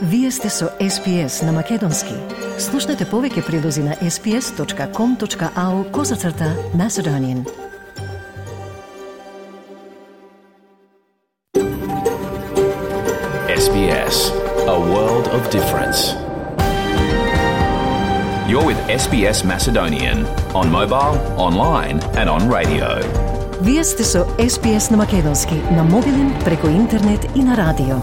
Вие сте со SPS на Македонски. Слушнете повеќе прилози на sps.com.au/Macedonian. SBS, a world of difference. You're with SBS Macedonian on mobile, online and on radio. Вие сте со SPS на Македонски, на мобилен, преку интернет и на радио.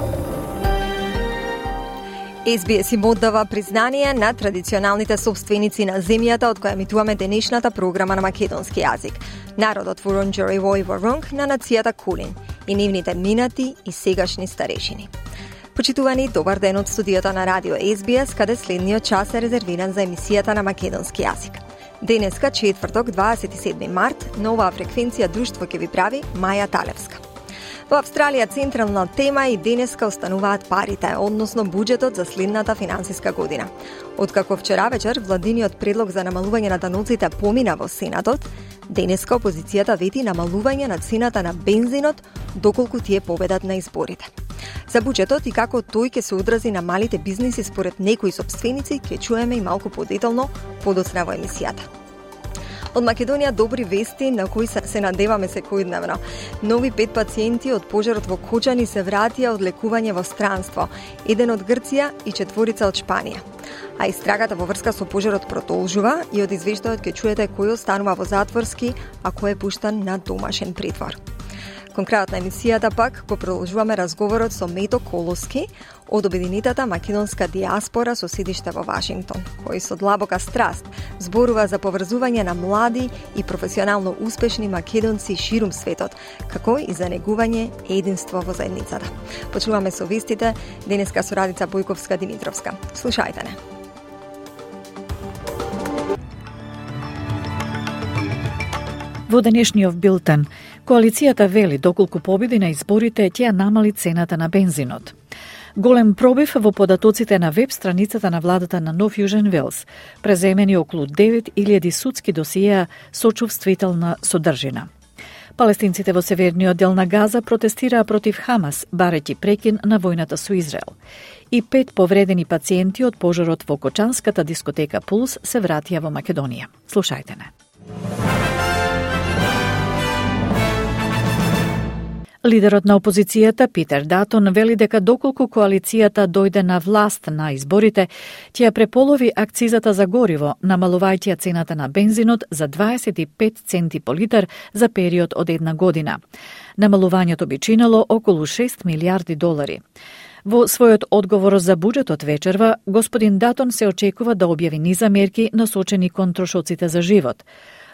SBS им оддава признание на традиционалните собственици на земјата од која емитуваме денешната програма на македонски јазик. Народот Вурунджери Војворонг на нацијата Кулин и нивните минати и сегашни старешини. Почитувани, добар ден од студиото на радио SBS, каде следниот час е резервиран за емисијата на македонски јазик. Денеска, четврток, 27 март, на оваа фреквенција друштво ќе ви прави Маја Талевска. Во Австралија централна тема и денеска остануваат парите, односно буџетот за следната финансиска година. Откако вчера вечер владиниот предлог за намалување на даноците помина во Сенатот, денеска опозицијата вети намалување на цената на бензинот доколку тие победат на изборите. За буџетот и како тој ќе се одрази на малите бизниси според некои сопственици ќе чуеме и малку подетално подоцна во емисијата. Од Македонија добри вести на кои се надеваме секојдневно. Нови 5 пациенти од пожарот во Кочани се вратија од лекување во странство, еден од Грција и 4 од Шпанија. А истрагата во врска со пожарот продолжува и од извештајот ќе чуете кој останува во затворски, а кој е пуштан на домашен притвор. Кон крајот на емисијата пак го продолжуваме разговорот со Мето Колоски од обединетата македонска диаспора со седиште во Вашингтон, кој со длабока страст зборува за поврзување на млади и професионално успешни македонци ширум светот, како и за негување единство во заедницата. Почнуваме со вестите денеска со Радица Бојковска-Димитровска. Слушајте не. Во денешниот билтен, коалицијата вели доколку победи на изборите ќе намали цената на бензинот. Голем пробив во податоците на веб страницата на владата на Нов Јужен Велс, преземени околу 9000 судски досиеа со чувствителна содржина. Палестинците во северниот дел на Газа протестираа против Хамас, барејќи прекин на војната со Израел. И 5 повредени пациенти од пожарот во кочанската дискотека Пулс се вратија во Македонија. Слушајте не. Лидерот на опозицијата Питер Датон вели дека доколку коалицијата дојде на власт на изборите, ќе ја преполови акцизата за гориво, намалувајќи цената на бензинот за 25 центи по литар за период од една година. Намалувањето би чинело околу 6 милиарди долари. Во својот одговор за буџетот вечерва, господин Датон се очекува да објави низа мерки насочени кон трошоците за живот.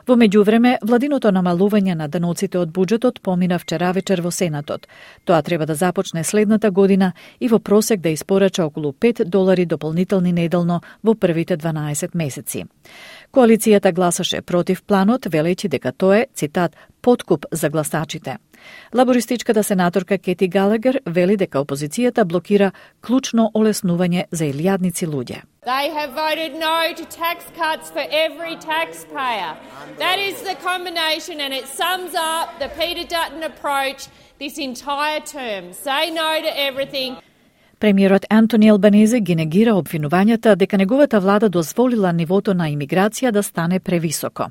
Во меѓувреме, владиното намалување на даноците од буџетот помина вчера вечер во Сенатот. Тоа треба да започне следната година и во просек да испорача околу $5 дополнителни неделно во првите 12 месеци. Коалицијата гласаше против планот, велејќи дека тоа е, цитат, подкуп за гласачите. Лабористичката сенаторка Кети Галагер вели дека опозицијата блокира клучно олеснување за илјадници луѓе. They have voted no to tax cuts for every taxpayer. That is the combination, and it sums up the Peter Dutton approach this entire term. Say no to everything. Премиерот Антони Албанезе ги негира обвинувањата дека неговата влада дозволила нивото на имиграција да стане превисоко.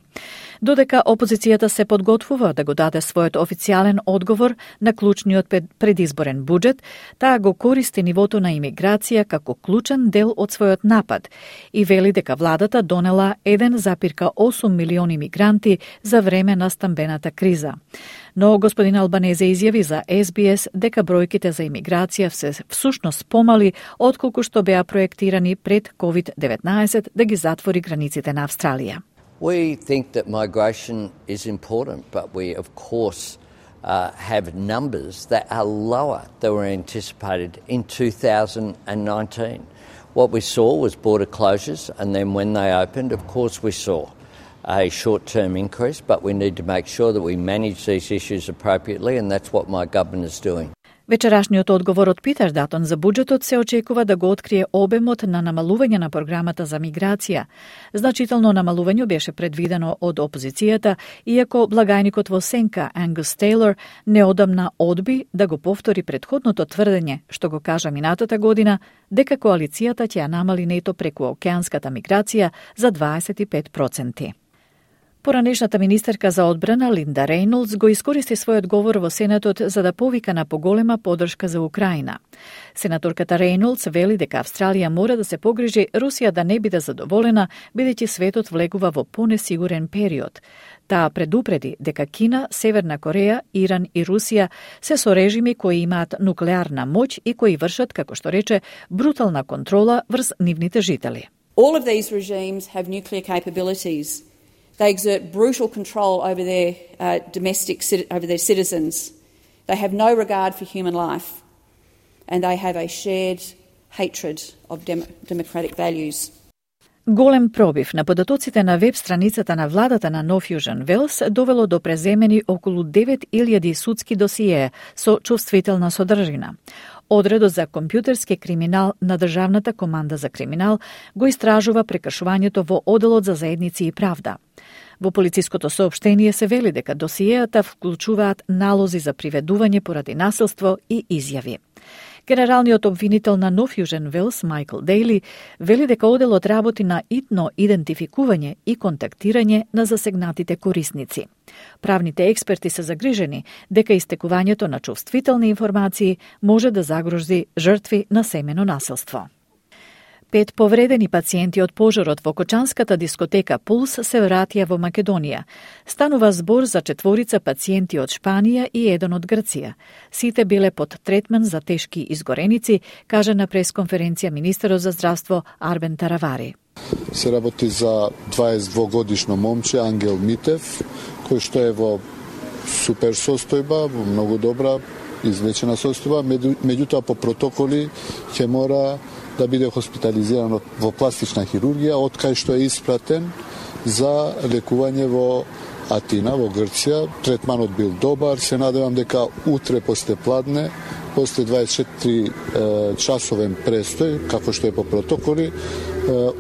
Додека опозицијата се подготвува да го даде својот официјален одговор на клучниот предизборен буџет, таа го користи нивото на имиграција како клучен дел од својот напад и вели дека владата донела 1,8 милиони мигранти за време на стамбената криза. Но господин Албанезе изјави за SBS дека бројките за имиграција се всушност помали отколку што беа проектирани пред COVID-19 да ги затвори границите на Австралија. We think that migration is important, but we of course have numbers that are lower than were anticipated in 2019. What we saw was border closures, and then when they opened, of course we saw a short-term increase, but we need to make sure that we manage these issues appropriately, and that's what my government is doing. Вечерашниот одговор од Питер Датон за буџетот се очекува да го открие обемот на намалување на програмата за миграција. Значително намалување беше предвидено од опозицијата, иако благајникот во сенка Ангус Тейлор неодамна одби да го повтори претходното тврдење, што го кажа минатата година, дека коалицијата ќе ја намали нето преку океанската миграција за 25%. Поранешната министерка за одбрана Линда Рейнолдс го искористи својот говор во Сенатот за да повика на поголема поддршка за Украина. Сенаторката Рейнолдс вели дека Австралија мора да се погрижи Русија да не биде задоволена, бидејќи светот влегува во понесигурен период. Таа предупреди дека Кина, Северна Кореја, Иран и Русија се со режими кои имаат нуклеарна моќ и кои вршат, како што рече, брутална контрола врз нивните жители. All of these regimes have nuclear capabilities. They exert brutal control over their over their citizens. They have no regard for human life, and they have a shared hatred of democratic values. Голем пробив на податоците на веб страницата на владата на Нов Јужен Велс довело до преземени околу 9000 судски досиеа со чувствителна содржина. Одредот за компјутерски криминал на Државната команда за криминал го истражува прекршувањето во Оделот за заедници и правда. Во полициското соопштение се вели дека досиеата вклучуваат налози за приведување поради насилство и изјави. Генералниот обвинител на Нов Јужен Велс, Майкл Дейли, вели дека оделот работи на итно идентификување и контактирање на засегнатите корисници. Правните експерти се загрижени дека истекувањето на чувствителни информации може да загрози жртви на семено насилство. 5 повредени пациенти од пожарот во Кочанската дискотека Пулс се вратија во Македонија. Станува збор за 4 пациенти од Шпанија и 1 од Грција. Сите биле под третман за тешки изгореници, каже на пресконференција министерот за здравство Арбен Таравари. Се работи за 22-годишно момче Ангел Митев, кој што е во супер состојба, во многу добра излечена состојба, меѓутоа по протоколи ќе мора да биде хоспитализиран во пластична хирургија, од кај што е испратен за лекување во Атина, во Грција. Третманот бил добар, се надевам дека утре после пладне, после 24 часовен престој, како што е по протоколи,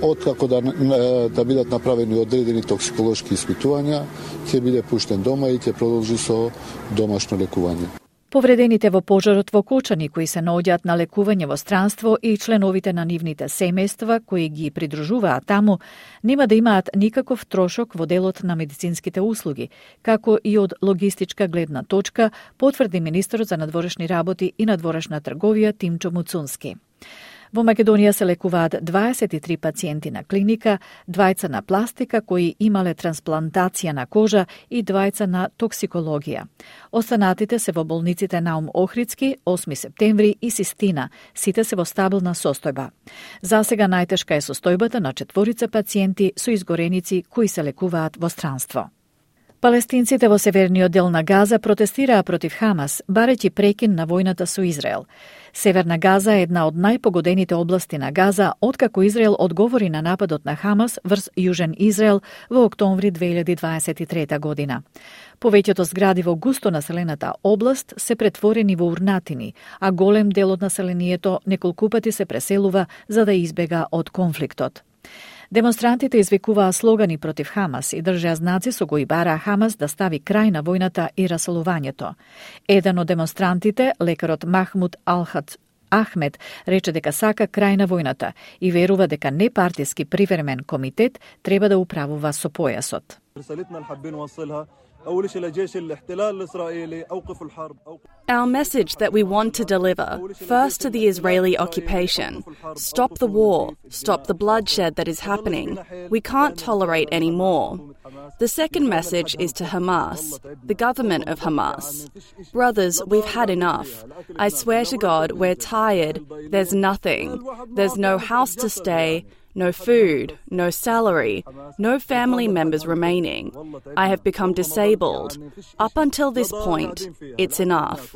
откако да бидат направени одредени токсиколошки испитувања, ќе биде пуштен дома и ќе продолжи со домашно лекување. Повредените во пожарот во Кочани, кои се наоѓаат на лекување во странство и членовите на нивните семејства, кои ги придружуваат таму, нема да имаат никаков трошок во делот на медицинските услуги, како и од логистичка гледна точка, потврди министерот за надворешни работи и надворешна трговија Тимчо Муцунски. Во Македонија се лекуваат 23 пациенти на клиника, 2 на пластика кои имале трансплантација на кожа и 2 на токсикологија. Останатите се во болниците Наум Охридски, 8 септември и Систина, сите се во стабилна состојба. Засега најтешка е состојбата на 4 пациенти со изгореници кои се лекуваат во странство. Палестинците во северниот дел на Газа протестираа против Хамас, барејќи прекин на војната со Израел. Северна Газа е една од најпогодените области на Газа, откако Израел одговори на нападот на Хамас врз Јужен Израел во октомври 2023 година. Повеќето згради во густо населената област се претворени во урнатини, а голем дел од населението неколку пати се преселува за да избега од конфликтот. Демонстрантите извикуваа слогани против Хамас и држеа знаци со кои бараа Хамас да стави крај на војната и расолувањето. Еден од демонстрантите, лекарот Махмуд Алхат Ахмед, рече дека сака крај на војната и верува дека непартиски привремен комитет треба да управува со појасот. Our message that we want to deliver, first to the Israeli occupation, stop the war, stop the bloodshed that is happening. We can't tolerate any more. The second message is to Hamas, the government of Hamas. Brothers, we've had enough. I swear to God, we're tired. There's nothing. There's no house to stay, no food, no salary, no family members remaining. I have become disabled. Up until this point, it's enough.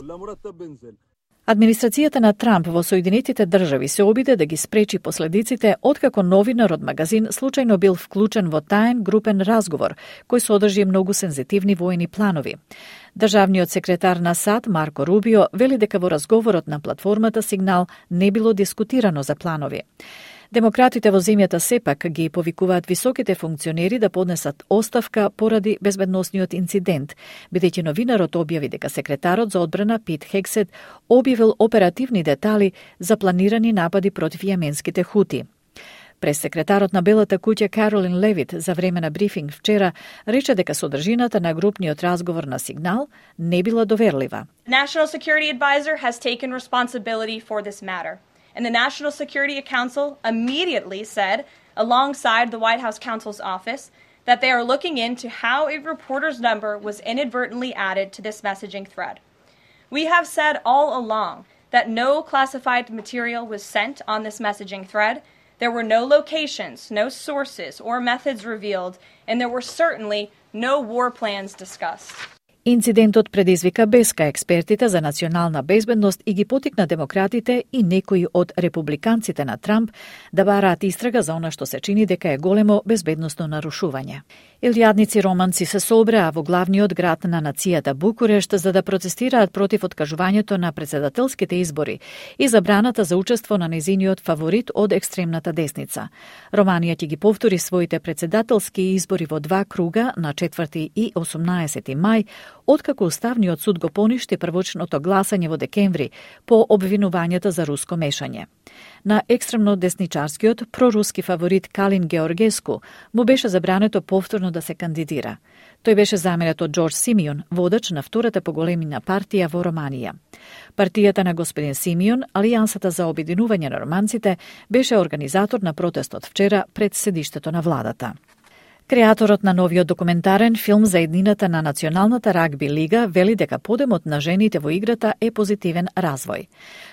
Администрацијата на Трамп во Соединетите држави се обиде да ги спречи последиците откако новинар од магазин случајно бил вклучен во таен групен разговор кој содржи многу сензитивни воени планови. Државниот секретар на САД Марко Рубио вели дека во разговорот на платформата Сигнал не било дискутирано за планови. Демократите во земјата сепак ги повикуваат високите функционери да поднесат оставка поради безбедносниот инцидент, бидејќи новинарот објави дека секретарот за одбрана Пит Хексет објавил оперативни детали за планирани напади против јеменските хути. Прес-секретарот на Белата куќа Каролин Левит за време на брифинг вчера рече дека содржината на групниот разговор на Сигнал не била доверлива. National Security Advisor has taken responsibility for this matter. And the National Security Council immediately said, alongside the White House counsel's office, that they are looking into how a reporter's number was inadvertently added to this messaging thread. We have said all along that no classified material was sent on this messaging thread. There were no locations, no sources or methods revealed, and there were certainly no war plans discussed. Инцидентот предизвика беска експертите за национална безбедност и ги потикна демократите и некои од републиканците на Трамп да бараат истрага за она што се чини дека е големо безбедносно нарушување. Илјадници романци се собраа во главниот град на нацијата Букурешт за да протестираат против откажувањето на претседателските избори и забраната за учество на незиниот фаворит од екстремната десница. Романија ќе ги повтори своите претседателски избори во 2 круга на 4 и 18 мај, откако Уставниот суд го поништи првочното гласање во декември по обвинувањата за руско мешање. На екстремно десничарскиот проруски фаворит Калин Георгеску му беше забрането повторно да се кандидира. Тој беше заменет од Џорџ Симеон, водач на втората по големина партија во Романија. Партијата на господин Симеон, Алијансата за обединување на романците, беше организатор на протестот вчера пред седиштето на владата. Креаторот на новиот документарен филм за еднината на Националната рагби лига вели дека подемот на жените во играта е позитивен развој.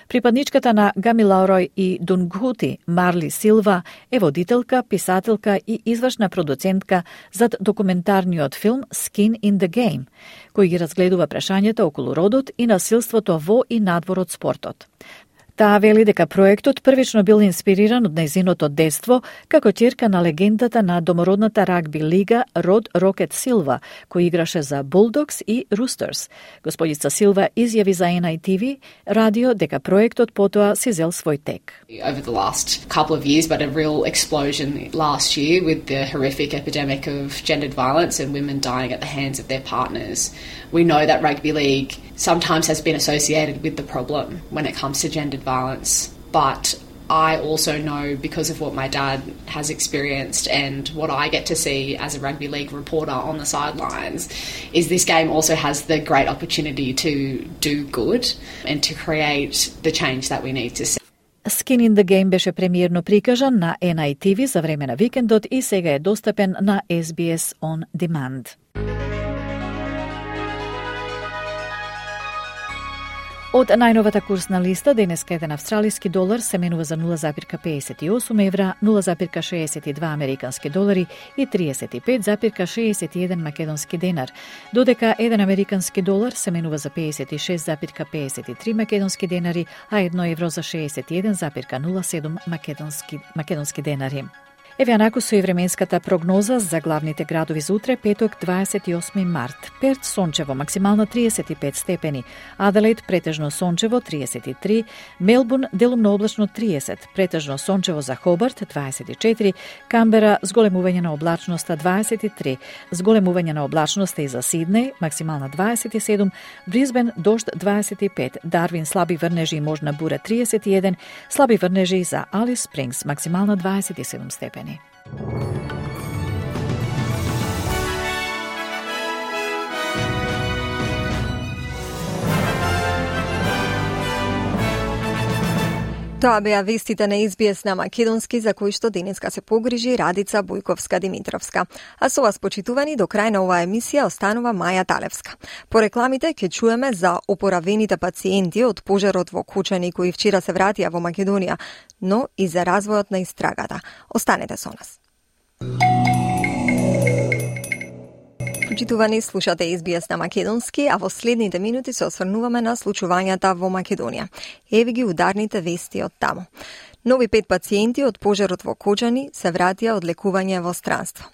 Припадничката на Гамилаурој и Дунгхути, Марли Силва, е водителка, писателка и извршна продуцентка зад документарниот филм Skin in the Game, кој ги разгледува прашањата околу родот и насилството во и надвор од спортот. Таа вели дека проектот првично бил инспириран од нејзиното детство како ќерка на легендата на домородната рагби лига Род Рокет Силва, кој играше за Bulldogs и Roosters. Господица Силва изјави за NITV радио дека проектот потоа си зел свој тек. Over the last couple of years, but a real explosion last year with the horrific epidemic of gendered violence and women dying at the hands of their partners. We know that rugby league sometimes has been associated with the problem when it comes to gendered violence, but I also know, because of what my dad has experienced and what I get to see as a rugby league reporter on the sidelines, is this game also has the great opportunity to do good and to create the change that we need to see. Skin in the Game беше премиерно прикажан на NITV за време на викендот и сега е достапен на SBS On Demand. Од најновата курсна листа, денеска еден австралиски долар се менува за 0,58 евра, 0,62 американски долари и 35,61 македонски денар, додека еден американски долар се менува за 56,53 македонски денари, а 1 евро за 61,07 македонски денари. Еве анаку со и временската прогноза за главните градови за утре, петок 28 март. Перт сончево, максимално 35 степени. Аделаид претежно сончево 33, Мелбурн делумно облачно 30, претежно сончево за Хобарт 24, Камбера зголемување на облачноста 23, зголемување на облачноста и за Сиднеј, максимална 27, Бризбен дожд 25, Дарвин слаби врнежи и можна бура 31, слаби врнежи за Алис Спрингс, максимална 27 степени. Тоа беа вестите на SBS на македонски, за кои што денеска се погрижи Радица Бојковска-Димитровска. А со вас, почитувани, до крај на оваа емисија останува Маја Талевска. По рекламите ќе чуеме за опоравените пациенти од пожарот во Кучани кои вчера се вратија во Македонија, но и за развојот на истрагата. Останете со нас. Почитувани, слушате SBS на македонски, а во следните минути се осврнуваме на случувањата во Македонија. Еве ги ударните вести од таму. Нови 5 пациенти од пожарот во Кочани се вратија од лекување во странство.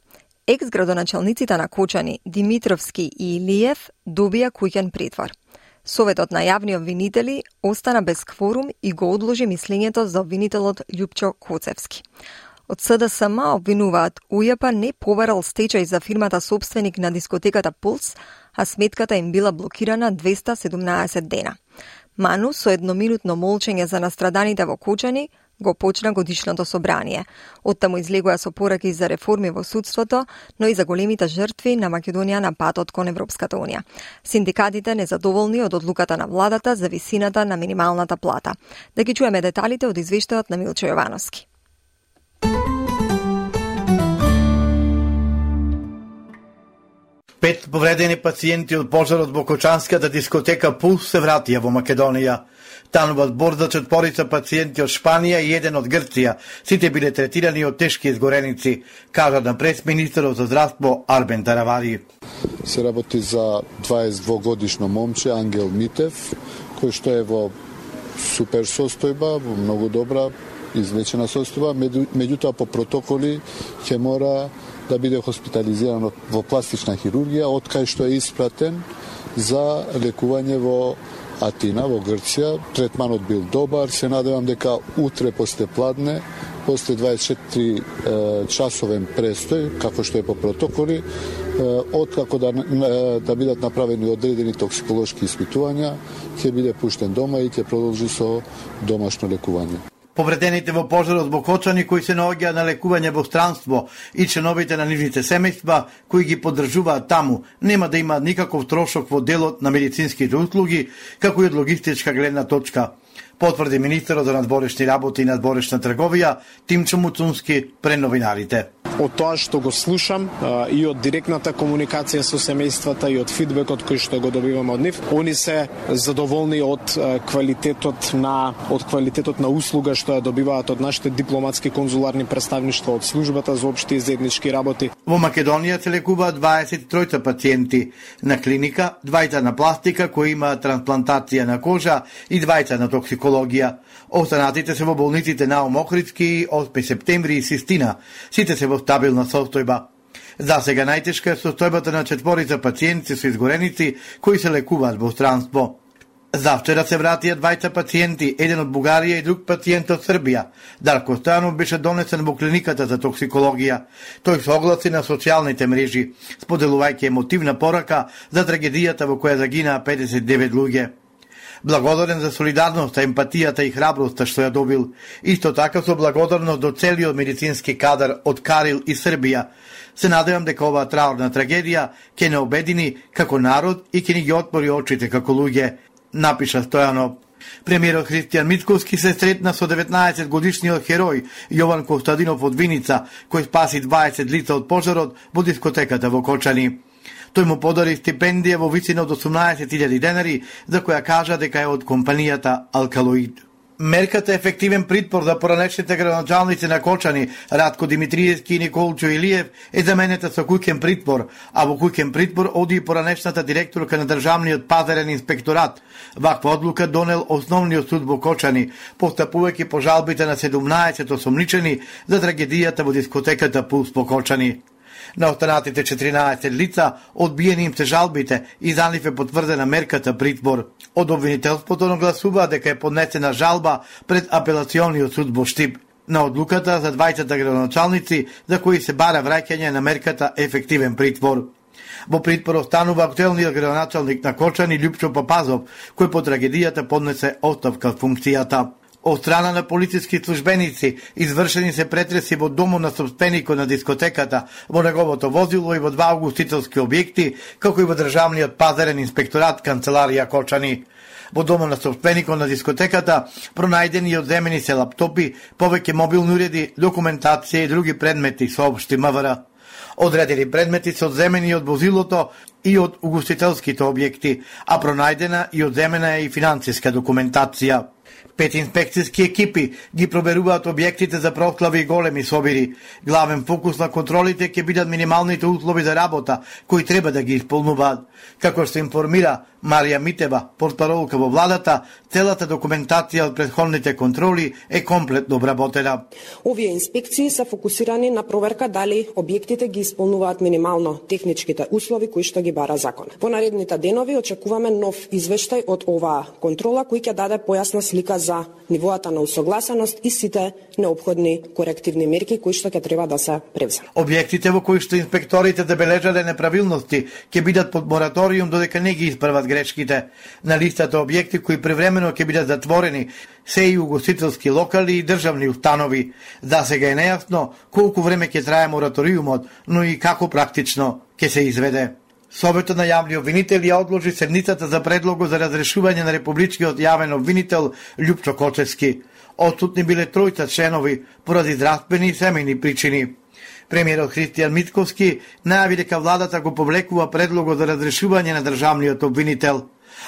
Екс-градоначалниците на Кочани, Димитровски и Илиев, добија куќен притвор. Советот на јавни обвинители остана без кворум и го одложи мислењето за обвинителот Љупчо Коцевски. Од СДСМ обвинуваат УЈП не побарал стечај за фирмата собственик на дискотеката Пулс, а сметката им била блокирана 217 дена. Ману со едноминутно молчење за настраданите во Кочани го почна годишното собрание. Оттаму излегува со пораки за реформи во судството, но и за големите жртви на Македонија на патот кон Европската Унија. Синдикатите незадоволни од одлуката на владата за висината на минималната плата. Да ги чуеме деталите од извештајот на Милчо Јовановски. Пет повредени пациенти од пожарот во кочанската дискотека Пулс се вратија во Македонија. Тануваат борда четворица пациенти од Шпанија и еден од Грција. Сите биле третирани од тешки изгореници, кажа на прес-министерот за здравство Арбен Таравари. Се работи за 22-годишно момче Ангел Митев, кој што е во супер состојба, во многу добра излечена состојба, меѓутоа по протоколи ќе мора да биде хоспитализиран во пластична хирургија, од кај што е испратен за лекување во Атина, во Грција. Третманот бил добар, се надевам дека утре после пладне, после 24 часовен престој, како што е по протоколи, откако да бидат направени одредени токсиколошки испитувања, ќе биде пуштен дома и ќе продолжи со домашно лекување. Повредените во пожарот во Кочани кои се наоѓаат на лекување во странство и членовите на нивните семејства кои ги поддржуваат таму нема да имаат никаков трошок во делот на медицинските услуги, како и од логистичка гледна точка, потврди министерот за надворешни работи и надворешна трговија Тимчо Муцунски пред новинарите. Од тоа што го слушам и од директната комуникација со семејствата и од фидбекот кој што го добивам од нив, они се задоволни од квалитетот на услуга што ја добиваат од нашите дипломатски конзуларни представништва од службата за општи и заеднички работи. Во Македонија се лекуваат 23 пациенти на клиника, 2 на пластика кои имаат трансплантација на кожа и 2 на токсикологија. Останатите се во болниците на Охридски, 8 септември и Систина. Сите се во стабилна состојба. За сега најтешка е состојбата на четворица пациенти со изгореници кои се лекуваат во странство. Завчера се вратија 2 пациенти, еден од Бугарија и друг пациент од Србија. Дарко Стојанов беше донесен во клиниката за токсикологија. Тој се огласи на социјалните мрежи, споделувајќи емотивна порака за трагедијата во која загинаа 59 луѓе. Благодарен за солидарноста, емпатијата и храброста што ја добил. Исто така со благодарност до целиот медицински кадар од Карил и Србија. Се надевам дека оваа траурна трагедија ќе не обедини како народ и ќе ни ги отвори очите како луѓе, напиша Стојанов. Премиерот Христијан Мицковски се сретна со 19-годишниот херој Јован Костадинов од Виница, кој спаси 20 лица од пожарот во дискотеката во Кочани. Тој му подари стипендија во висина од 18.000 денари, за која кажа дека е од компанијата Алкалоид. Мерката ефективен притвор за поранешните градоначалници на Кочани, Радко Димитриевски и Николчо Илиев, е заменета со куќен притвор, а во куќен притвор оди и поранешната директорка на Државниот пазарен инспекторат. Ваква одлука донел Основниот суд во Кочани, постапувајќи по жалбите на 17 осомничени за трагедијата во дискотеката Пулс во Кочани. На останатите 14 лица одбиени им се жалбите и за нив е потврдена мерката притвор. Од обвинителството нагласува дека е поднесена жалба пред апелациониот суд во Штип на одлуката за 20 градоначалници за кои се бара враќање на мерката ефективен притвор. Во притвор останува актуелниот градоначалник на Кочани Љупчо Папазов, кој по трагедијата поднесе оставка од функцијата. Од страна на полициски службеници извршени се претреси во домот на собственикот на дискотеката, во неговото возило и во 2 угостителски објекти, како и во Државниот пазарен инспекторат канцеларија Кочани. Во домот на собственикот на дискотеката пронајдени и одземени се лаптопи, повеќе мобилни уреди, документација и други предмети, соопшти МВР. Одредени предмети се одземени од возилото и од угостителските објекти, а пронајдена и одземена е и финансиска документација. 5 инспекцијски екипи ги проверуваат објектите за прослави и големи собири. Главен фокус на контролите ќе бидат минималните услови за работа, кои треба да ги исполнуваат. Како што информира Марија Митева, портпаролка во владата, целата документација од претходните контроли е комплетно обработена. Овие инспекции се фокусирани на проверка дали објектите ги исполнуваат минимално техничките услови кои што ги бара закон. Во наредните денови очекуваме нов извештај од оваа контрола кој ќе даде појасна слика за нивоата на усогласеност и сите неопходни корективни мерки кои што ќе треба да се превземат. Објектите во кои што инспекторите забележале неправилности ќе бидат под мораториум додека не ги исправат грешките. На листата објекти кои превремено ќе бидат затворени се и угостителски локали и државни установи. За сега е нејасно колку време ќе трае мораториумот, но и како практично ќе се изведе. Советот на јавни обвинители ја одложи седницата за предлого за разрешување на републичкиот јавен обвинител Љупчо Кочевски. Отсутни биле тројца членови поради здравствени и семејни причини. Премиерот Христијан Мицковски најави дека владата го повлекува предлого за разрешување на државниот обвинител,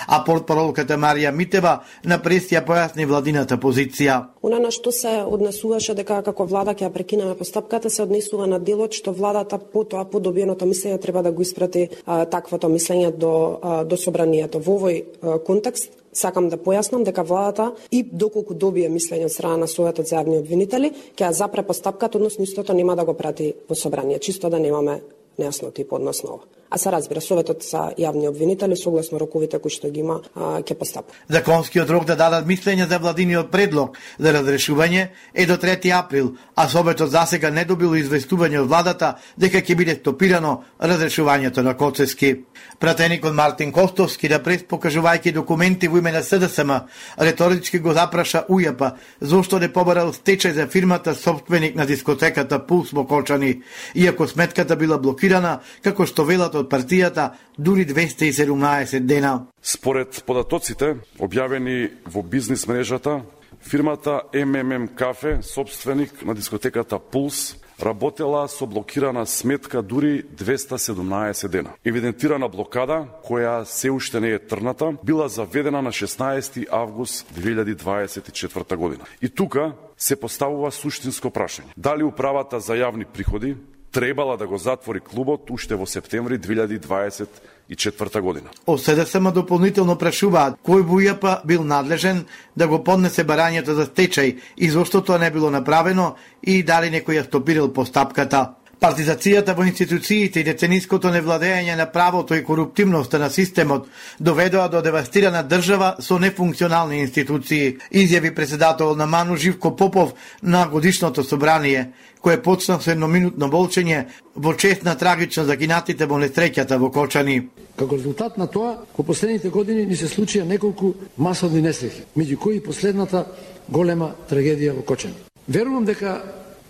а портпаролката Марија Митева на прес ја појасни владината позиција. Она на што се однесуваше дека како влада ќе ја прекинеме постапката се однесува на делот што владата потоа по добиеното мислење треба да го испрати таквото мислење до собранието. Во овој контекст сакам да појаснам дека владата и доколку добие мислење од страна на Советот за јавни обвинители ќе ја запре постапката, односно истото нема да го прати во собрание, чисто да немаме нејасноти по однос на ова. А се разбира, Советот за јавни обвинители согласно роковите кои што ги има ќе постапи. Законскиот рок да дадат мислење за владиниот предлог за разрешување е до 3 април, а Советот засега не добил известување од владата дека ќе биде стопирано разрешувањето на Коцевски. Пратеникот Мартин Костовски да прес покажувајќи документи во име на СДСМ, реторички го запраша УЈП зошто не побарал стечај за фирмата собственик на дискотеката Пулс во Кочани, иако сметката била блокирана, како што велат од партијата, дури 217 дена. Според податоците објавени во бизнис мрежата, фирмата МММ Кафе, собственик на дискотеката Пулс, работела со блокирана сметка дури 217 дена. Евидентирана блокада, која се уште не е трната, била заведена на 16 август 2024 година. И тука се поставува суштинско прашање. Дали управата за јавни приходи требала да го затвори клубот уште во септември 2024 година. Од СДСМ дополнително прашуваат кој во УЈП бил надлежен да го поднесе барањето за стечај и зошто тоа не било направено и дали некој ја стопирал постапката. Партизацијата во институциите и децениското невладење на правото и коруптивноста на системот доведоа до девастирана држава со нефункционални институции, изјави председател на МАНУ Живко Попов на годишното собрание, кое почна со едноминутно волчење во чест на трагично загинатите во несреќата во Кочани. Како резултат на тоа, во последните години ни се случија неколку масовни несреќи, меѓу кои последната голема трагедија во Кочани. Верувам дека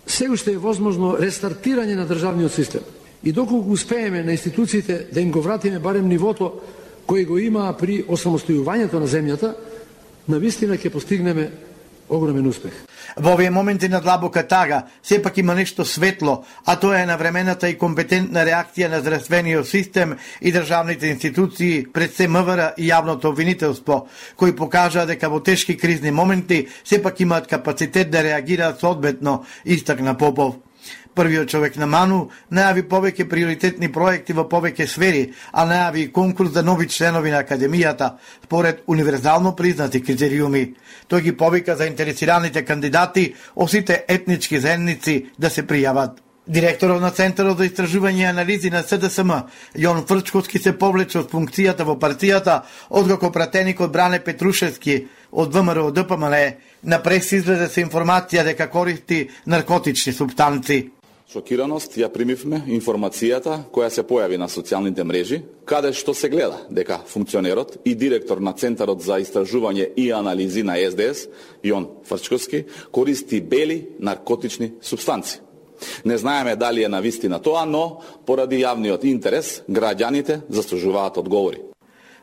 се уште е возможно рестартирање на државниот систем и доколку успееме на институциите да им го вратиме барем нивото кој го има при осамостојувањето на земјата, навистина ќе постигнеме огромен успех. Во овие моменти на длабока тага, сепак има нешто светло, а тоа е навремената и компетентна реакција на здравствениот систем и државните институции пред се МВР и јавното обвинителство, кои покажаа дека во тешки кризни моменти сепак имаат капацитет да реагираат соодветно, истакна Попов. Првиот човек на МАНУ најави повеќе приоритетни проекти во повеќе сфери, а најави и конкурс за нови членови на Академијата, според универзално признати критериуми. Тој ги повика заинтересираните кандидати од сите етнички заедници да се пријават. Директорот на Центарот за истражување и анализи на СДСМ, Јон Фрчковски, се повлече од функцијата во партијата, откако пратеникот Бране Петрушевски од ВМРО ДПМН на прес излезе со информација дека користи наркотични супстанци. Шокираност ја примивме информацијата која се појави на социјалните мрежи, каде што се гледа дека функционерот и директор на Центарот за истражување и анализи на СДС, Јон Фрчковски, користи бели наркотични супстанци. Не знаеме дали е навистина тоа, но поради јавниот интерес, граѓаните заслужуваат одговори.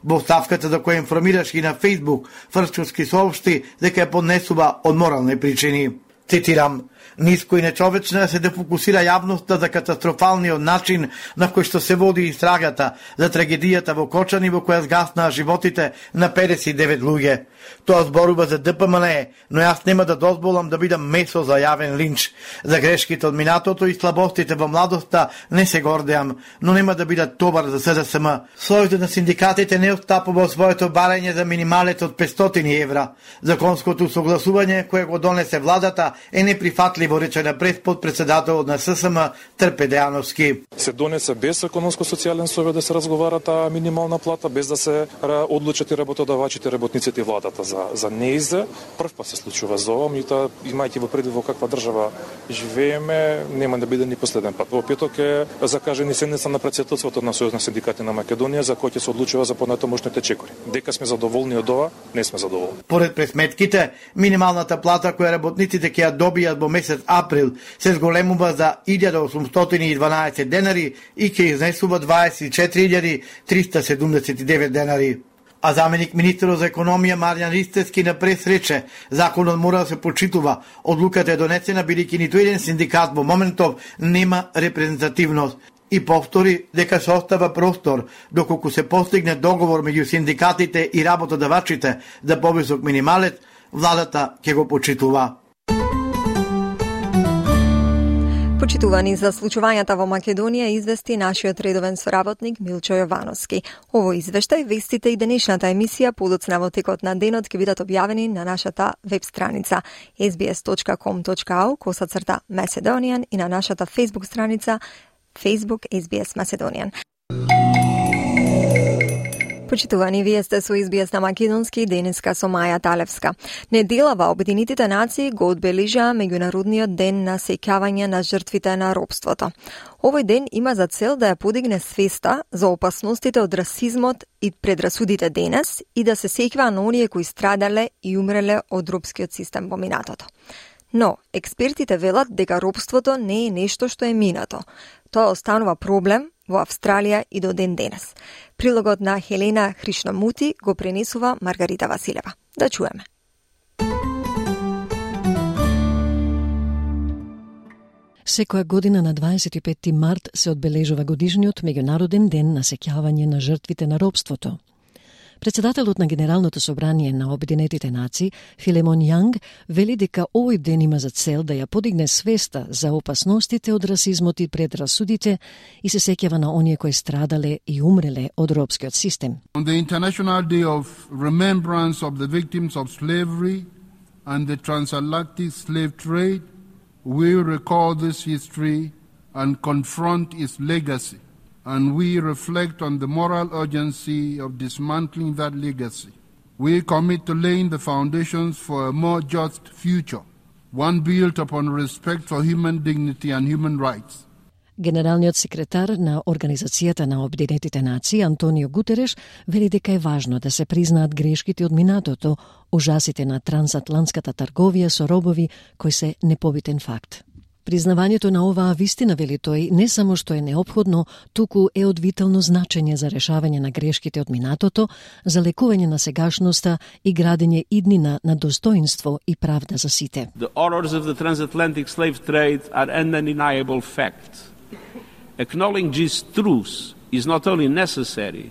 Во ставката за која информираш и на Facebook, Фрчковски соопшти дека ја поднесува од морални причини. Цитирам: "Ниско и нечовечно се дефокусира јавноста за катастрофалниот начин на кој што се води истрагата за трагедијата во Кочани во која згаснаа животите на 59 луѓе. Тоа зборува за ДПМН, но јас нема да дозволам да бидам месо за јавен линч. За грешките од минатото и слабостите во младоста не се гордеам, но нема да бидат товар за СДСМ. Сојузот на синдикатите не отстапува своето барање за минималец од 500 евра. Законското согласување кое го донесе владата е неприфатливо, рече на председателот на ССМ Трпе Дејановски. Се донесе без економско-социјален совет да се разговара таа минимална плата, без да се одлучат и работодавачите, работниците и владата за неиза. Прв пат се случува за ова, меѓутоа имајќи во предвид во каква држава живееме, нема да биде ни последен пат. Во петок е закажени седница на претседателството на Сојуз на синдикати на Македонија, за кој ќе се одлучува за понатамошните чекори. Дека сме задоволни од ова, не сме задоволни. Поред пресметките, минималната плата која работниците ќе ја добијат во месец април се зголемува за 1812 денари и ќе изнесува 24.379 денари. А заменик министерот за економија Маријан Ристевски на прес рече: "Законот мора да се почитува. Одлуката е донесена бидејќи ниту еден синдикат во моментов нема репрезентативност." И повтори дека се остава простор доколку се постигне договор меѓу синдикатите и работодавачите за повисок минималец, владата ќе го почитува. Почитувани за случувањата во Македонија извести нашиот редовен соработник Милчо Јовановски. Овој извештај, вестите и денешната емисија подоцна во текот на денот ќе бидат објавени на нашата веб страница sbs.com.au/Macedonian и на нашата Facebook страница Facebook SBS Macedonian. Почитувани, вие сте со SBS на Македонски, денеска со Маја Талевска. Неделава Обединетите нации го одбележаа меѓународниот ден на сеќавање на жртвите на робството. Овој ден има за цел да ја подигне свеста за опасностите од расизмот и предрасудите денес и да се сеќава на оние кои страдале и умреле од робскиот систем во минатото. Но, експертите велат дека робството не е нешто што е минато. Тоа останува проблем во Австралија и до ден денес. Прилогот на Хелена Хришномути го пренесува Маргарита Василева. Да чуеме. Секоја година на 25 март се одбележува годишниот меѓународен ден на сеќавање на жртвите на робството. Председателот на Генералното собрание на Обединетите нации, Филемон Јанг, вели дека овој ден има за цел да ја подигне свеста за опасностите од расизмот и предрасудите и се сеќава на оние кои страдале и умреле од робскиот систем. On the International Day of Remembrance of the Victims of Slavery and the Transatlantic Slave Trade, we recall this history and confront its legacy. And we reflect on the moral urgency of dismantling that legacy. We commit to laying the foundations for a more just future, one built upon respect for human dignity and human rights. Генералниот секретар на Организацијата на Обединетите нации Антонио Гутереш вели дека е важно да се признаат грешките од минатото, ужасите на трансатлантската трговија со робови кои се непобитен факт. Признавањето на оваа вистина, вели тој, не само што е неопходно, туку е од витално значење за решавање на грешките од минатото, за лекување на сегашноста и градење иднина на достоинство и правда за сите. The horrors of the transatlantic slave trade are an undeniable fact. Acknowledging these truths is not only necessary,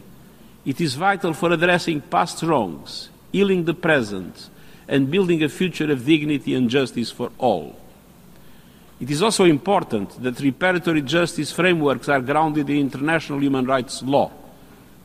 it is vital for addressing past wrongs, healing the present, and building a future of dignity and justice for all. It is also important that reparatory justice frameworks are grounded in international human rights law,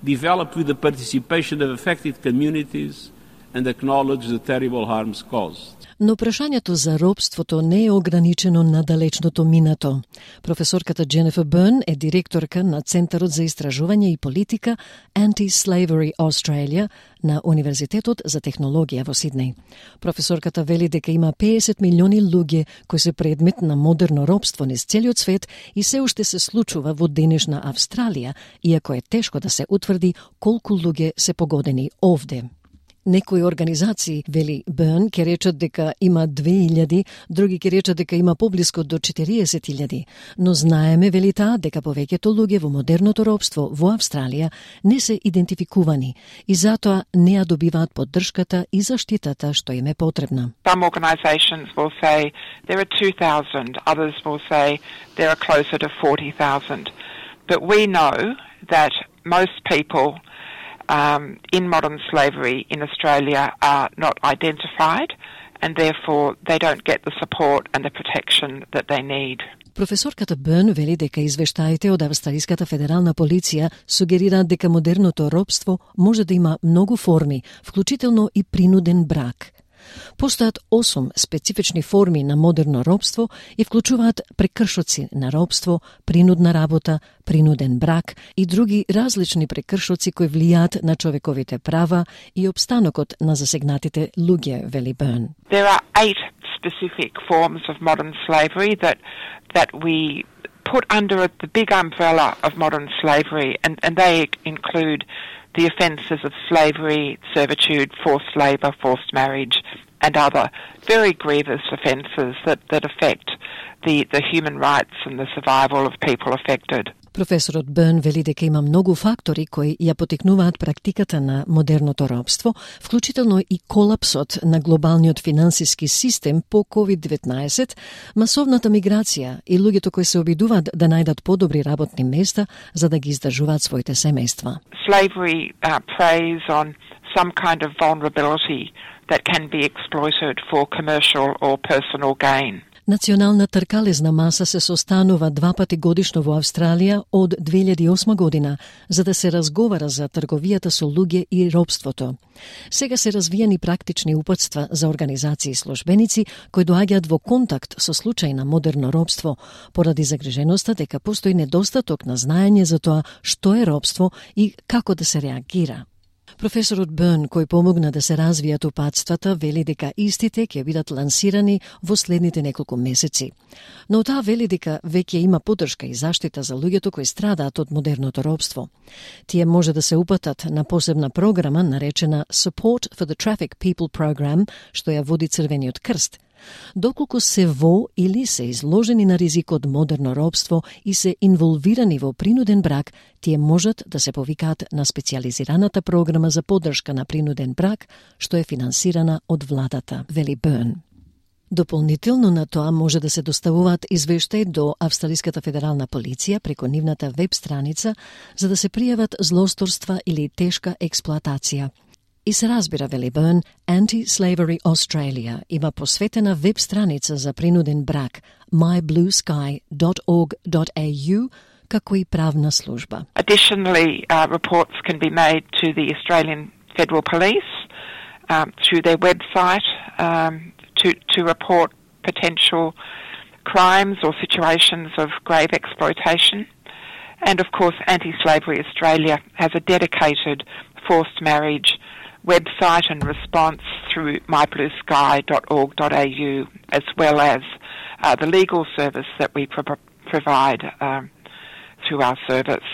developed with the participation of affected communities and acknowledge the terrible harms caused. Но прашањето за робството не е ограничено на далечното минато. Професорката Дженефер Бърн е директорка на Центарот за истражување и политика Anti-Slavery Australia на Универзитетот за технологија во Сиднеј. Професорката вели дека има 50 милиони луѓе кои се предмет на модерно робство низ целиот свет и се уште се случува во денешна Австралија, иако е тешко да се утврди колку луѓе се погодени овде. Некои организации, вели Бърн, ке речат дека има 2000, други ке речат дека има поблиску до 40,000, но знаеме, вели таа, дека повеќето луѓе во модерното робство во Австралија не се идентификувани и затоа не ја добиваат поддршката и заштитата што им е потребна. Some organisations will say there are 2,000, others will say there are closer to 40,000. But we know that most people in modern slavery in Australia are not identified and therefore they don't get the support and the protection that they need. Професорката Бърн вели дека извештаите од Австралиската федерална полиција сугерираат дека модерното робство може да има многу форми, вклучително и принуден брак. Постојат 8 специфични форми на модерно робство и вклучуваат прекршоци на робство, принудна работа, принуден брак и други различни прекршоци кои влијаат на човековите права и обстанокот на засегнатите луѓе, вели Бърн. There are 8 specific forms of modern slavery that we put under the big umbrella of modern slavery, and they include the offences of slavery, servitude, forced labour, forced marriage, and other very grievous offences that affect the human rights and the survival of people affected. Професорот Бърн вели дека има многу фактори кои ја потикнуваат практиката на модерното робство, вклучително и колапсот на глобалниот финансиски систем по COVID-19, масовната миграција и луѓето кои се обидуваат да најдат подобри работни места за да ги издржуваат своите семејства. Slavery preys on some kind of vulnerability that can be exploited for commercial or personal gain. Национална тркалезна маса се состанува 2 пати годишно во Австралија од 2008 година, за да се разговара за трговијата со луѓе и робството. Сега се развијани практични упатства за организации и службеници кои доаѓаат во контакт со случај на модерно робство, поради загриженоста дека постои недостаток на знаење за тоа што е робство и како да се реагира. Професорот Бърн, кој помогна да се развијат упатствата, вели дека истите ќе бидат лансирани во следните неколку месеци. Но таа вели дека веќе има поддршка и заштита за луѓето кои страдаат од модерното робство. Тие може да се упатат на посебна програма наречена Support for the Trafficked People Program, што ја води Црвениот крст. Доколку се во или се изложени на ризик од модерно робство и се инволвирани во принуден брак, тие можат да се повикаат на специјализираната програма за поддршка на принуден брак, што е финансирана од владата, вели Бърн. Дополнително на тоа може да се доставуваат извештаи до Австралиската федерална полиција преку нивната веб страница за да се пријават злосторства или тешка експлоатација. И се разбира, вели Бърн, Anti-Slavery Australia има посветена веб страница за принуден брак mybluesky.org.au како и правна служба. Additionally, reports can be made to the Australian Federal Police through their website to report potential crimes or situations of grave exploitation. And of course, Anti-Slavery Australia has a dedicated forced marriage website and response through mybluesky.org.au, as well as the legal service that we provide through our service.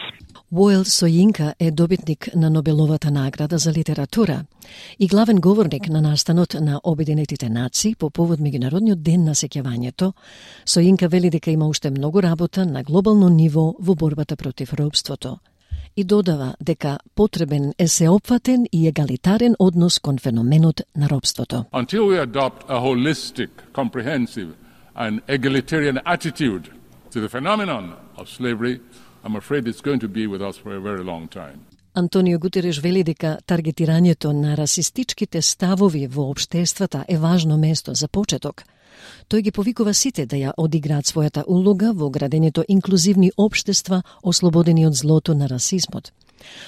Уоел Сојинка е добитник на Нобеловата награда за литература и главен говорник на настанот на Обединетите нации по повод Меѓународниот ден на сеќавањето. Сојинка вели дека има уште многу работа на глобално ниво во борбата против робството. И додава дека потребен е сеопфатен и егалитарен однос кон феноменот на робството. Until we adopt a holistic, comprehensive and egalitarian attitude to the phenomenon of slavery, I'm afraid it's going to be with us for a very long time. Антонио Гутереш вели дека таргетирањето на расистичките ставови во општествата е важно место за почеток. Тој ги повикува сите да ја одиграат својата улога во градењето инклузивни општества ослободени од злото на расизмот.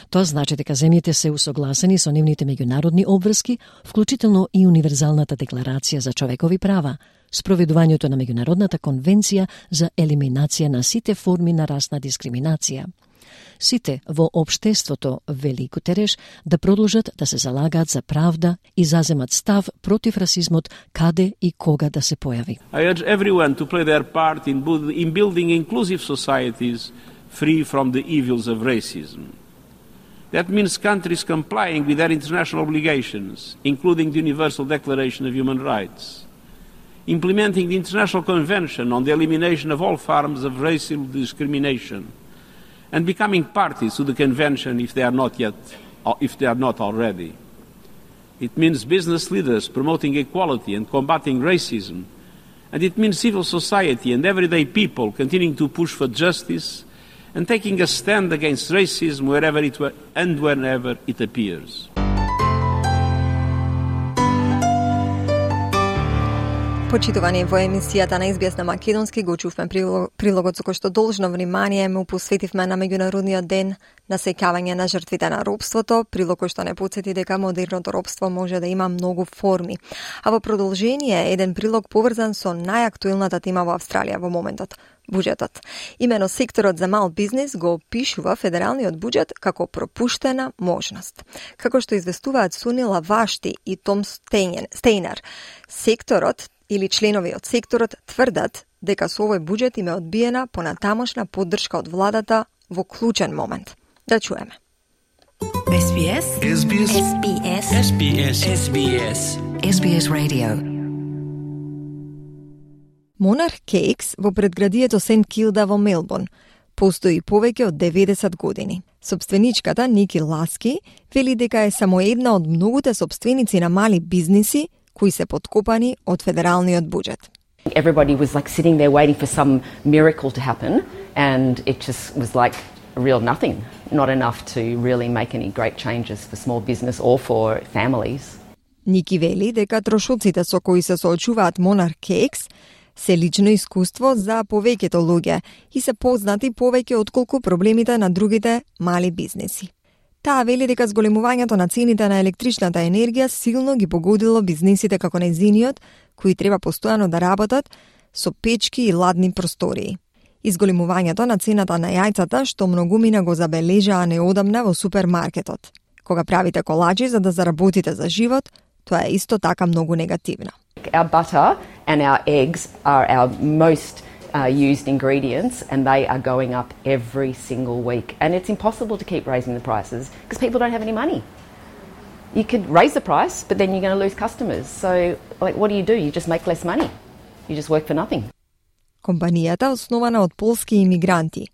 Тоа значи дека земјите се усогласени со нивните меѓународни обврски, вклучително и Универзалната декларација за човекови права, спроведувањето на Меѓународната конвенција за елиминација на сите форми на расна дискриминација. Сите во општеството, вели Гутереш, да продолжат да се залагаат за правда и заземат став против расизмот каде и кога да се појави. I urge everyone to play their part in building inclusive societies free from the evils of racism. That means countries complying with their international obligations, including the Universal Declaration of Human Rights, implementing the International Convention on the Elimination of All Forms of Racial Discrimination, and becoming parties to the Convention if they are not already. It means business leaders promoting equality and combating racism, and it means civil society and everyday people continuing to push for justice and taking a stand against racism wherever and whenever it appears. Почитувани, во емисијата на SBS на македонски го чувме прилогот со кој што должно внимание му посветивме на меѓународниот ден на сеќавање на жртвите на робството, прилог кој што не потсети дека модерното робство може да има многу форми. А во продолжение еден прилог поврзан со најактуелната тема во Австралија во моментот – буџетот. Имено секторот за мал бизнис го опишува федералниот буџет како пропуштена можност. Како што известуваат Сунила Вашти и Том Стейнер, секторот или членови од секторот тврдат дека со овој буџет им е одбиена понатамошна поддршка од владата во клучен момент. Да чуеме. SBS SBS SBS SBS SBS SBS Radio. Monarch Cakes во предградието Сент Килда во Мелбурн постои повеќе од 90 години. Собственичката Ники Ласки вели дека е само една од многуте собственици на мали бизниси кои се подкопани од федералниот буџет. Everybody was like sitting there waiting for some miracle to happen, and it just was like real nothing, not enough to really make any great changes for small business or for families. Ники вели дека трошоците со кои се соочуваат Monarch Cakes се лично искуство за повеќето луѓе и се познати повеќе отколку проблемите на другите мали бизниси. Таа вели дека зголемувањето на цените на електричната енергија силно ги погодило бизнисите како незиниот, кои треба постојано да работат со печки и ладни простории. Изголемувањето на цената на јајцата, што многумина го забележаа неодамна во супермаркетот. Кога правите колаџи за да заработите за живот, тоа е исто така многу негативно. Our butter and our eggs are our most used ingredients, and they are going up every single week. And it's impossible to keep raising the prices because people don't have any money. You could raise the price, but then you're going to lose customers. So, like, what do? You just make less money. You just work for nothing. Компанијата, основана од полски имигранти,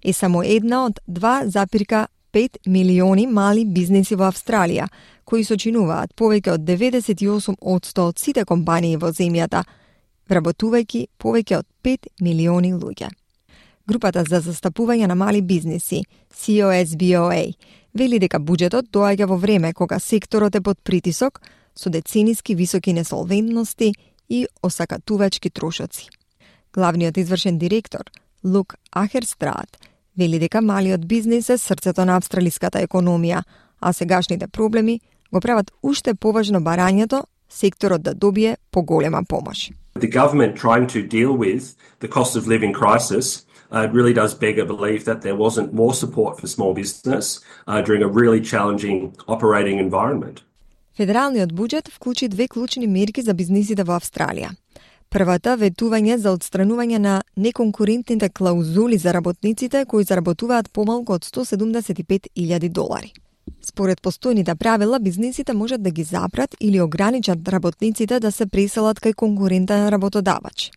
е само една од 2,5 милиони мали бизниси во Австралија, кои сочинуваат повеќе од 98% од сите компании во земјата, вработувајќи повеќе од 5 милиони луѓе. Групата за застапување на мали бизниси, COSBOA, вели дека буџетот доаѓа во време кога секторот е под притисок со децениски високи несолвентности и осакатувачки трошоци. Главниот извршен директор, Лук Ахерстрат, вели дека малиот бизнис е срцето на австралиската економија, а сегашните проблеми го прават уште поважно барањето секторот да добие поголема помош. The government trying to deal with the cost of living crisis really does beg a belief that there wasn't more support for small business during a really challenging operating environment. Федералниот буџет вклучи две клучни мерки за бизнисите во Австралија. Првата ветување за отстранување на неконкурентните клаузули за работниците кои заработуваат помалку од $175,000. Според постојните правила, бизнисите можат да ги забрат или ограничат работниците да се преселат кај конкурентен работодавач.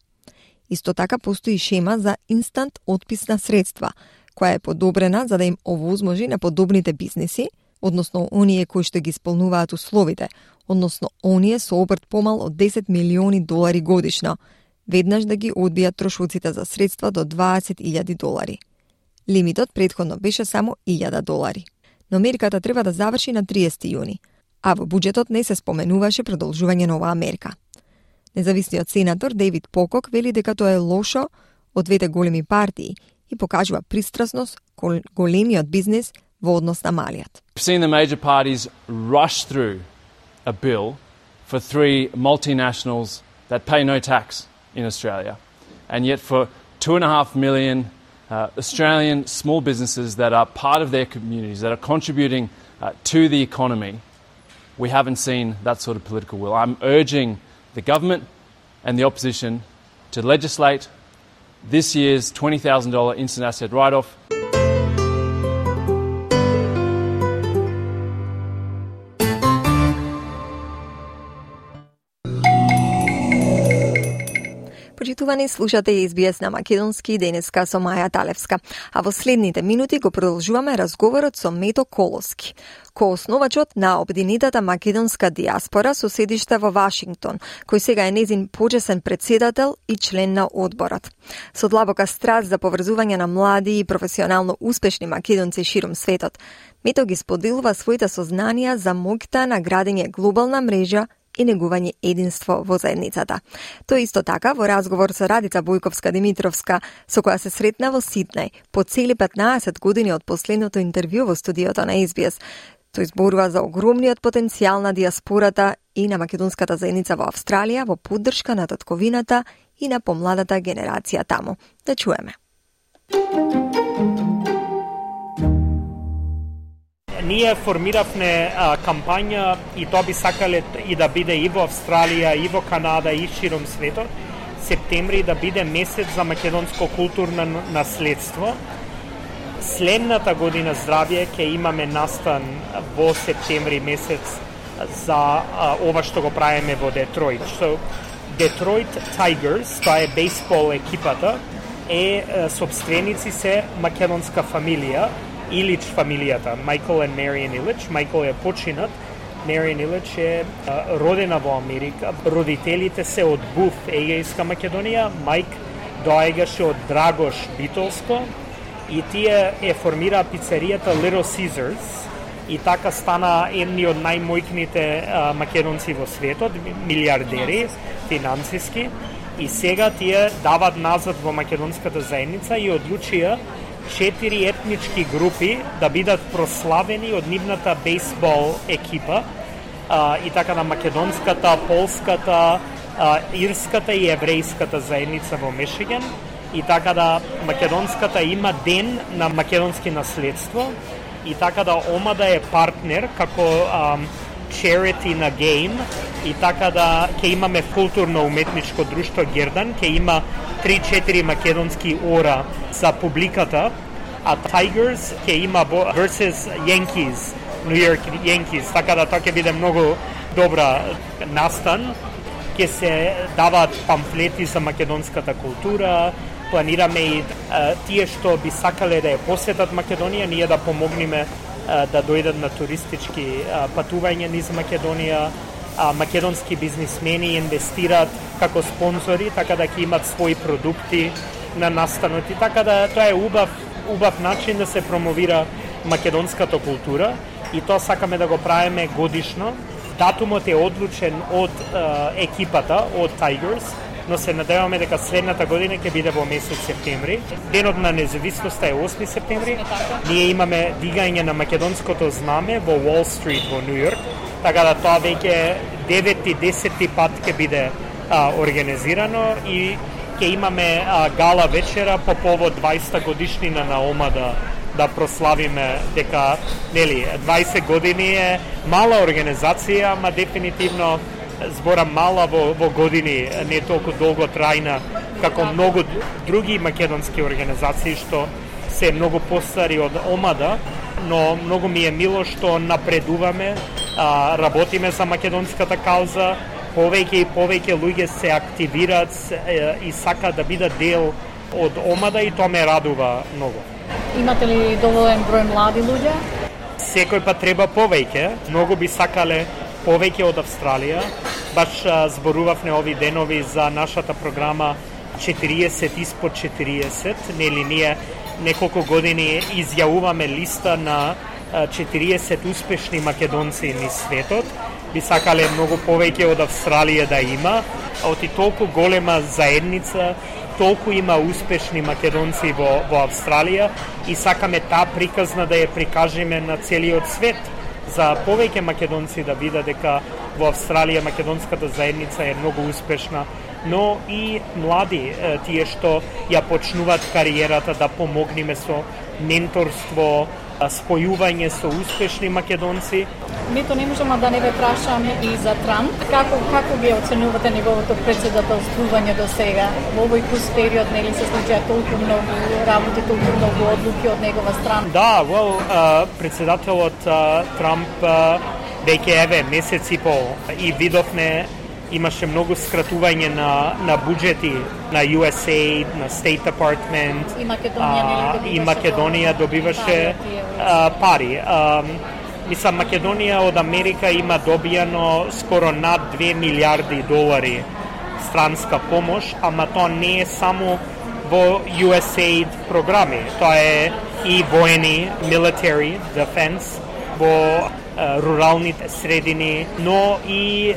Исто така постои шема за инстант отпис на средства, која е подобрена за да им овозможи на подобните бизниси, односно оние кои што ги исполнуваат условите, односно оние со обрт помал од $10 милиони годишно, веднаш да ги одбијат трошоците за средства до $20,000. Лимитот претходно беше само $1,000. Но мерката треба да заврши на 30 јуни, а во буџетот не се споменуваше продолжување на оваа мерка. Независниот сенатор Дейвид Покок вели дека тоа е лошо од двете големи партии и покажува пристрасност кон големиот бизнис во однос на малиот. We've seen the major parties rush through a bill for 3 multinationals that pay no tax in Australia. And yet for 2.5 million Australian small businesses that are part of their communities, that are contributing to the economy, we haven't seen that sort of political will. I'm urging the government and the opposition to legislate this year's $20,000 instant asset write-off. Почитувани, слушате SBS на македонски денеска со Маја Талевска, а во следните минути го продолжуваме разговорот со Мето Коловски, коосновачот на обединетата македонска диаспора со седиште во Вашингтон, кој сега е незин почесен председател и член на одборот. Со длабока страст за поврзување на млади и професионално успешни македонци широм светот, Мето ги споделува своите сознанија за моќта на градење глобална мрежа и негување единство во заедницата. Тој исто така во разговор со Радица Бојковска-Димитровска, со која се сретна во Сиднеј по цели 15 години од последното интервју во студиото на SBS. Тој зборува за огромниот потенцијал на диаспората и на македонската заедница во Австралија во поддршка на татковината и на помладата генерација таму. Да чуеме. Ние формиравме кампања и тоа би сакале и да биде и во Австралија, и во Канада, и широм светот. Септември да биде месец за македонско културно наследство. Следната година здравје ќе имаме настан во септември месец за ова што го правиме во Детройт. So, Detroit Tigers, тоа е бейсбол екипата, собственици се македонска фамилија, Илич фамилијата, Michael and Marian Illich. Michael е починат, Marian Illich е родена во Америка. Родителите се од Буф, Егејска Македонија. Майк доаѓаше од Драгош, Битолско. И тие формираа пицеријата Little Caesars. И така стана едни од најмојкните македонци во светот, милиардери, финансиски. И сега тие дават назад во македонската заедница и одлучија 4 етнички групи да бидат прославени од нивната бейсбол екипа, и така на македонската, полската, ирската и еврејската заедница во Мишиген, и така да македонската има ден на македонски наследство, и така да омада е партнер како charity на game, и така да ќе имаме културно-уметничко друштво Гердан, ќе има 3-4 македонски ора за публиката, а Tigers ќе има versus Yankees, New York Yankees, така да тоа ќе биде многу добра настан. Ќе се даваат памфлети за македонската култура, планираме и тие што би сакале да ја посетат Македонија, ние да помогнеме да дојдат на туристички патувања низ Македонија. Македонски бизнисмени инвестираат како спонзори, така да ќе имат своји продукти на настанот. И така да тоа е убав начин да се промовира македонската култура, и тоа сакаме да го правиме годишно. Датумот е одлучен од екипата, од Tigers, но се надеваме дека следната година ќе биде во месец септември. Денот на независноста е 8 септември. Ние имаме дигање на македонското знаме во Wall Street во Нью Йорк, така да тоа веќе 9-10 пат ќе биде организирано, и ќе имаме гала вечера по повод 20 годишнина на омада, да прославиме дека 20 години е мала организација, ама дефинитивно збора мала во години, не толку долго трајна како многу други македонски организации што се многу постари од омада, но многу ми е мило што напредуваме, работиме за македонската кауза, повеќе и повеќе луѓе се активираат и сакаат да бидат дел од омада, и тоа ме радува многу. Имате ли доволен број млади луѓе? Секој пат треба повеќе, многу би сакале повеќе од Австралија. Баш зборувавме ови денови за нашата програма 40 испод 40, ние неколку години изјавуваме листа на 40 успешни македонци низ светот. Би сакале многу повеќе од Австралија да има, оти толку голема заедница, толку има успешни македонци во Австралија, и сакаме таа приказна да ја прикажеме на целиот свет, за повеќе македонци да видат дека во Австралија македонската заедница е многу успешна, но и млади, тие што ја почнуваат кариерата, да помогнеме со менторство, спојување со успешни македонци. Мето, не можам да не ве прашам и за Трамп. Како ги оценувате неговото председателствување до сега? Во овој кус период нели се случија толку многу работи, толку многу одлуки од негова страна? Да, председателот Трамп веќе месец и пол, и видовме имаше многу скратување на буџети на USAID, на State Department, и Македонија добиваше пари. Мислам, Македонија од Америка има добијано скоро над 2 милиарди долари странска помош, ама тоа не е само во USAID програми, тоа е и воени, military, defense, во руралните средини, но и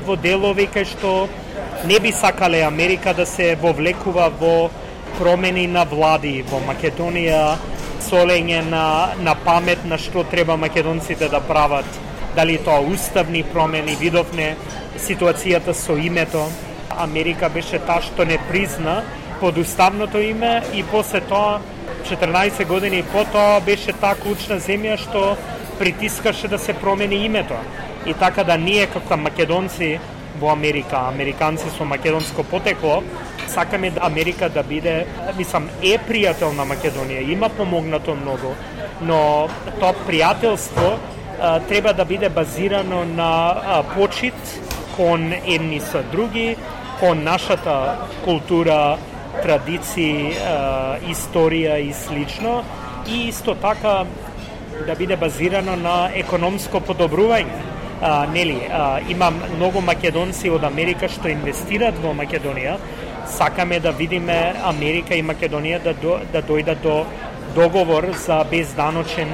во делови кај што не би сакале Америка да се вовлекува во промени на влади во Македонија, солење на памет на што треба македонците да прават, дали тоа уставни промени. Видовме ситуацијата со името. Америка беше таа што не призна под уставното име и после тоа 14 години потоа беше таа клучна земја што притискаше да се промени името. И така да ние како македонци во Америка, американци со македонско потекло, сакаме да Америка да биде, мислам, е пријател на Македонија, има помогнато многу, но тоа пријателство треба да биде базирано на почит кон едни со други, кон нашата култура, традиции, историја и слично, и исто така да биде базирано на економско подобрување. Има многу македонци од Америка што инвестираат во Македонија. Сакаме да видиме Америка и Македонија да дојдат до договор за безданочен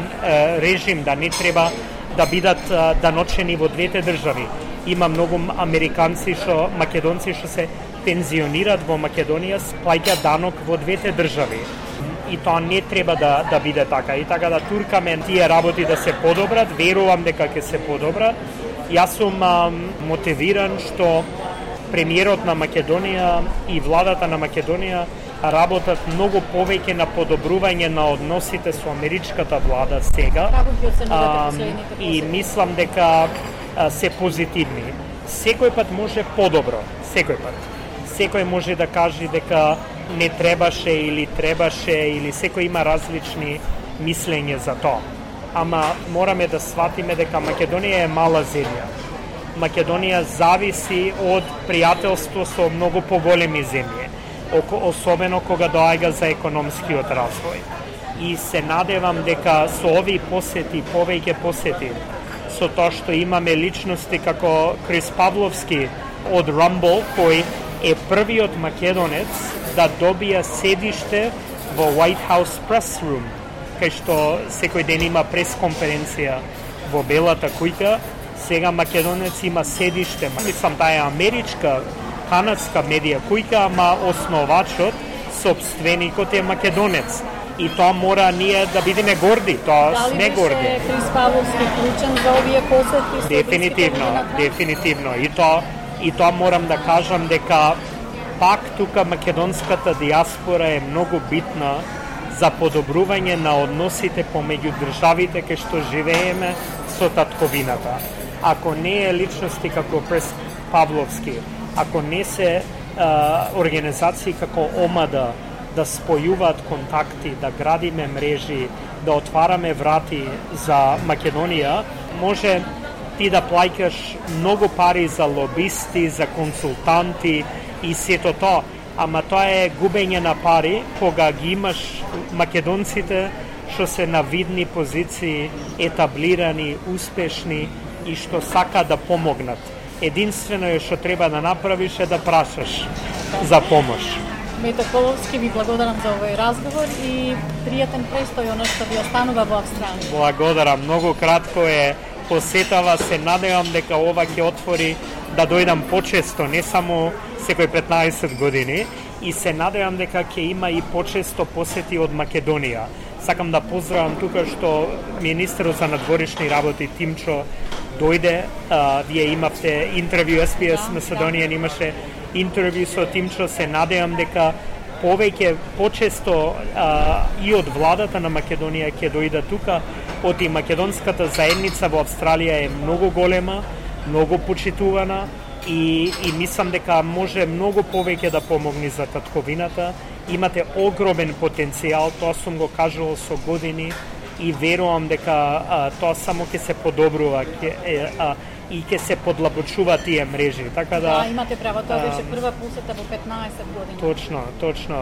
режим, да не треба да бидат даночени во двете држави. Има многу американци македонци што се пензионираат во Македонија, плаќаат данок во двете држави. И тоа не треба да биде така. И така да туркаме тие работи да се подобрат, верувам дека ќе се подобрат. Јас сум мотивиран што премиерот на Македонија и владата на Македонија работат многу повеќе на подобрување на односите со америчката влада сега. И мислам дека се позитивни. Секој пат може подобро, секој пат. Секој може да каже дека не требаше или секој има различни мислење за тоа. Ама мораме да сватиме дека Македонија е мала земја. Македонија зависи од пријателство со многу поголеми земји, особено кога доаѓа за економскиот развој. И се надевам дека со овие посети, повеќе посети, со тоа што имаме личности како Крис Павловски од Rumble, кој е првиот македонец да добија седиште во White House Press Room, кај што секој ден има пресконференција во Белата куќа. Сега македонец има седиште. Мислам, таа е америчка, канадска медија куќа, ама основачот, собственикот е македонец. И тоа мора ние да бидеме горди, тоа сме горди. Дали беше Крис Павловски клучен за овие посети? Дефинитивно. И тоа морам да кажам дека пак тука македонската диаспора е многу битна за подобрување на односите помеѓу државите кај што живееме со татковината. Ако не е личности како Крис Павловски, ако не се организации како ОМАДА да спојуваат контакти, да градиме мрежи, да отвараме врати за Македонија, може ти да плаќаш многу пари за лобисти, за консултанти и сето тоа, ама тоа е губење на пари кога ги имаш македонците што се на видни позиции, етаблирани, успешни и што сака да помогнат. Единствено е што треба да направиш е да прашаш за помош. Мето Коловски, ви благодарам за овој разговор и пријатен престој оно што ви останува во Австралија. Благодарам, многу кратко е посетава, се надевам дека ова ќе отвори да дојдам почесто, не само секој 15 години, и се надевам дека ќе има и почесто посети од Македонија. Сакам да поздравам тука што министерот за надворешни работи Тимчо дојде, вие имавте интервју, SBS Macedonian имаше интервју со Тимчо, се надевам дека повеќе, почесто и од владата на Македонија ќе дојде тука, оти македонската заедница во Австралија е многу голема, многу почитувана и мислам дека може многу повеќе да помогне за татковината. Имате огромен потенцијал, тоа сум го кажувал со години и верувам дека тоа само ќе се подобрува. и ќе се подлабочува тие мрежи. Така да имате право, тоа беше прва посета во 15 години. Точно.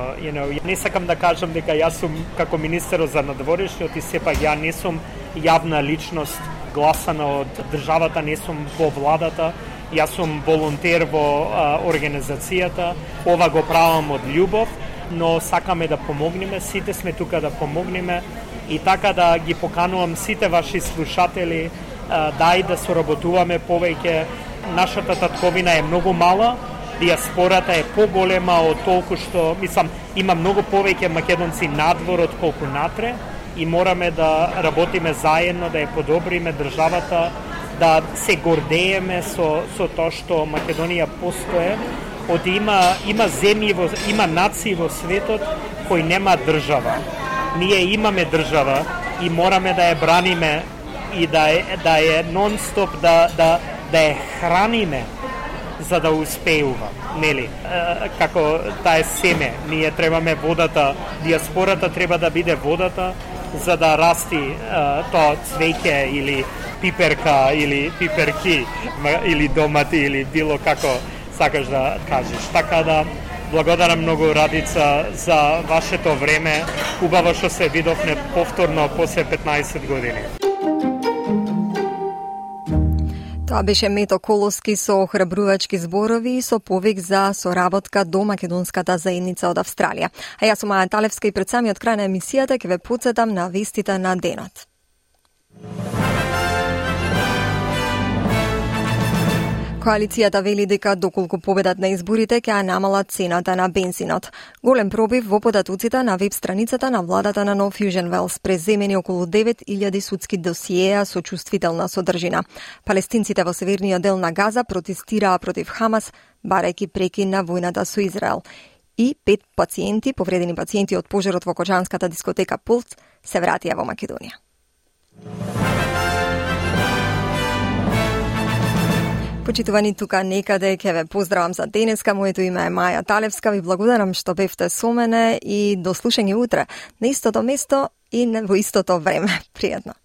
Не сакам да кажам дека јас сум како министер за надворешниот и сепак ја не сум јавна личност гласана од државата, не сум во владата. Јас сум волонтер во организацијата. Ова го правам од љубов, но сакаме да помогнеме, сите сме тука да помогнеме и така да ги поканувам сите ваши слушатели дај да соработуваме повеќе. Нашата татковина е многу мала, диаспората е поголема од толку што, има многу повеќе македонци надвор од колку натре и мораме да работиме заедно, да ја подобриме државата, да се гордееме со тоа што Македонија постоje. Има земји, има нации во светот кои нема држава. Ние имаме држава и мораме да ја браниме и да ја нон-стоп да ја храниме за да успеува, нели? Како таа е семе, ние требаме водата, диаспората треба да биде водата за да расти тоа цвеќе или пиперка или пиперки или домати или било како сакаш да кажеш. Така да благодарам многу, Радица, за вашето време. Убаво што се видовме повторно после 15 години. Тоа беше Мето Коловски со охрабрувачки зборови и со повик за соработка до македонската заедница од Австралија. А јас сум Маја Талевска и пред самиот крај на емисијата ќе ве потсетам на вестите на денот. Коалицијата вели дека доколку победат на изборите ќе намала цената на бензинот. Голем пробив во податоците на веб страницата на владата на Нов Южен Велс преземени околу 9000 судски досиеа со чувствителна содржина. Палестинците во северниот дел на Газа протестираа против Хамас, барајќи прекин на војната со Израел. И 5 повредени пациенти од пожарот во кочанската дискотека Пулс се вратија во Македонија. Почитувани, тука некаде ќе ве поздравам за денеска. Моето име е Маја Талевска. Ви благодарам што бевте со мене и до слушање утре на истото место и во истото време. Пријатно.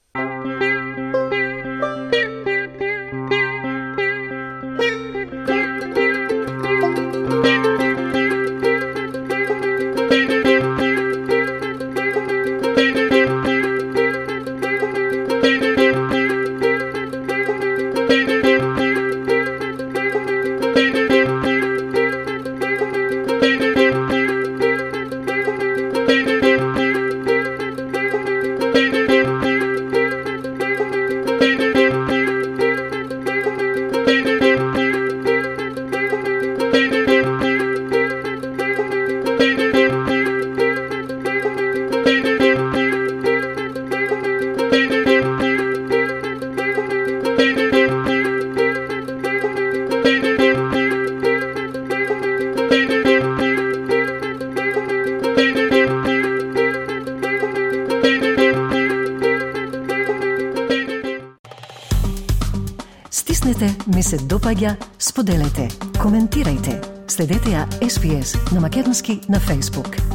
Ми се допаѓа, споделете, коментирајте. Следете ја SPS на македонски на Facebook.